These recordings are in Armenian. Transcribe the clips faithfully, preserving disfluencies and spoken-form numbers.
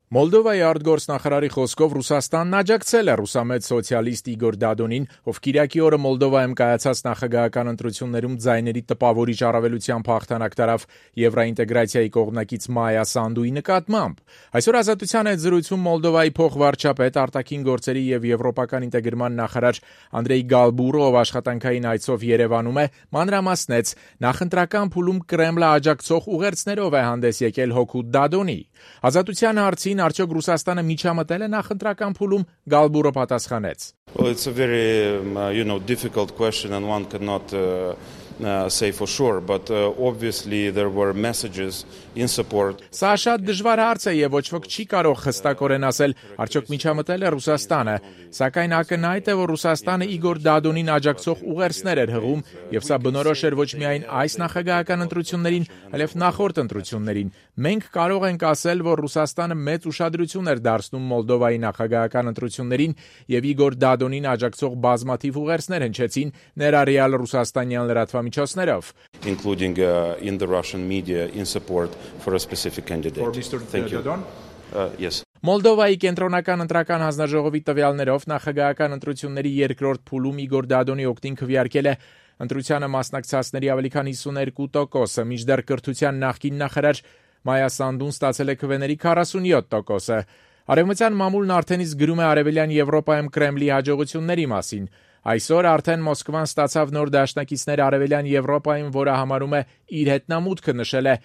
Մոլդովայի արտգործնախարարի խոսքով Ռուսաստանն աջակցել է ռուսամետ սոցիալիստ Իգոր Դադոնին, ով կիրակի օրը Մոլդովայում կայացած նախագահական ընտրություններում ձայների տպավորիչ առավելությամբ հաղթանակ տարավ Եվրոինտեգրացիայի կողմնակից Մայա Սանդուի նկատմամբ։ Այսօր Ազատության հետ զրույցում Մոլդովայի փոխվարչապետ, արտաքին գործերի եւ եվրոպական ինտեգրման նախարար Անդրեյ Գալբուրը, ով աշխատանքային այցով Երևանում է, մանրամասնեց, նախընտրական փուլում Կրեմլը աջակցող ուղերձներով է հանդես եկել հօգուտ Դադոնի։ Ազատության հարցին արդյոք Ռուսաստանը միջամտել է նախընտրական փուլում, Գալբուրը պատասխանեց. Well, it's a very, uh, you know, difficult question and one cannot uh, uh, say for sure, but uh, obviously there were messages in support. Սա շատ դժվար հարց է եւ ոչ ոք չի կարող հստակորեն ասել, արդյոք միջամտել է Ռուսաստանը, սակայն ակնհայտ է, որ Ռուսաստանը Իգոր Դադոնին աջակցող ուղերձներ էր հղում եւ սա բնորոշ էր ոչ միայն այս նախագահական ընտրություններին, այլև նախորդ ընտրություններին։ Մենք կարող ենք ասել, որ Ռուսաստանը մեծ ուշադրություն էր դարձնում Մոլդովայի նախագահական ընտրություններին եւ Իգոր Դադոնին աջակցող բազմաթիվ ուղերձներ հնչեցին ներառյալ ռուսաստանյան լրատվամիջոցներով, including uh, in the Russian media in support for a specific candidate. For Mister Thank you. Dodon? Uh, yes. Մոլդովայի կենտրոնական ընտրական հանձնաժողովի տվյալներով նախագահական ընտրությունների երկրորդ փուլում Իգոր Դադոնի օգտին քվեարկել է ընտրությանը մասնակցածների ավելի քան հիսունհինգ տոկոսը, մինչդեռ կրթության նախկին նախարար Մայա Սանդուն ստացել է քվեների քառասունյոթ տոկոսը։ Արևմտյան մամուլն արդեն իսկ գրում է Արևելյան Եվրոպայում Կրեմլի հաջողությունների մասին։ Այսօր արդեն Մոսկվան ստացավ նոր դաշնակիցներ Արևելյան Եվրոպայում, որը համարում է իր հետնամուտքը, նշել է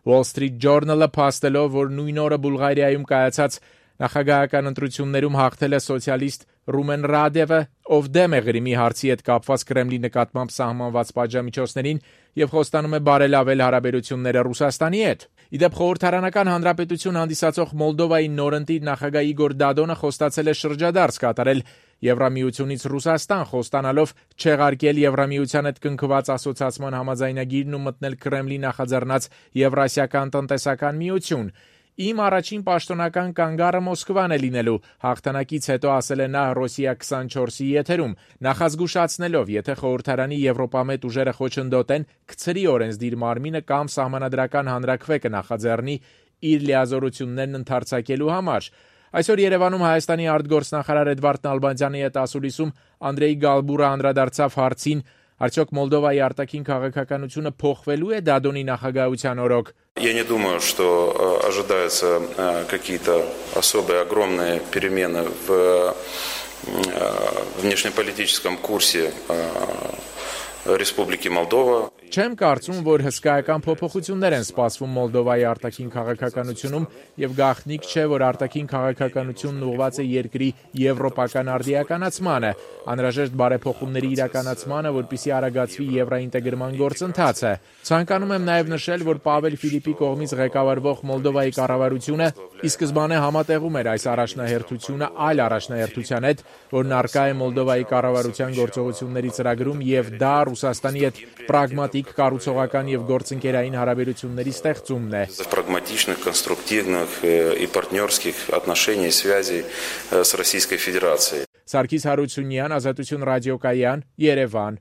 Wall Street Journal-ը, փաստելով, որ նույն օրը Բուլղարիայում կայացած նախագահական ընտրություններում հաղթել է սոցիալիստ Ռումեն Ռադևը, ով դեմ է Ղրիմի հարցի հետ կապված Կրեմլի նկատմամբ սահմանված պատժամիջոցներին եւ խոստանում է բարելավել հարաբերությունները Ռուսաստանի հետ։ Իդեպ խորհրդարանական հանրապետություն հանդիսացող Մոլդովայի նորընտիր նախագահ Իգոր Դադոնը խոստացել է շրջադարձ կատարել Եվրամիությունից Ռուսաստան, խոստանալով չեղարկել Եվրամիության հետ կնքված ասոցիացիան համաձայնագիրն ու մտնել Կրեմլի նախաձեռնած Եվրասիական տնտեսական միություն։ Իմ առաջին պաշտոնական կանգառը Մոսկվան է լինելու, հաղթանակից հետո ասել է նա Ռոսիա քսանչորսի եթերում, նախազգուշացնելով, եթե խորհրդարանի եվրոպամետ ուժերը խոչընդոտեն, կցրի օրենսդիր մարմինը կամ սահմանադրական հանրաքվե կնախաձեռնի իր լիազորություններն ընդարձակելու համար։ Այսօր Երևանում Հայաստանի արտգործնախարար Էդվարդ Նալբանդյանի հետ ասուլիսում Անդրեյ Գալբուրը անդրադարձավ հարցին, արդյոք Մոլդովայի արտաքին քաղաքականությունը փոխվելու է Դադոնի նախագահության օրոք։ Я не думаю, что ожидаются какие-то особые огромные перемены в внешнеполитическом курсе Республики Молдова. Չեմ կարծում, որ հսկայական փոփոխություններ են սպասվում Մոլդովայի արտաքին քաղաքականությունում եւ գաղտնիք չէ, որ արտաքին քաղաքականությունն ուղղված է երկրի եվրոպական արդիականացմանը, անհրաժեշտ բարեփոխումների իրականացմանը, որպիսի արագացվի եվրոինտեգրման գործընթացը։ Ցանկանում եմ նաեւ նշել, որ Պավել Ֆիլիպի կողմից ղեկավարվող Մոլդովայի կառավարությունը ի սկզբանե համատեղում էր այս առաջնահերթությունը այլ առաջնահերթության հետ, որն առկա է Մոլդովայի կառավարության գործողությունների ծրագրում եւ դա Ռուսաստանի հետ պրագմատիկ, կառուցողական եւ գործընկերային հարաբերությունների ստեղծումն է։ Прагматичных, конструктивных и партнерских отношений, связей с Российской Федерацией. Սարգիս Հարությունյան, Ազատություն ռադիոկայան, Երևան։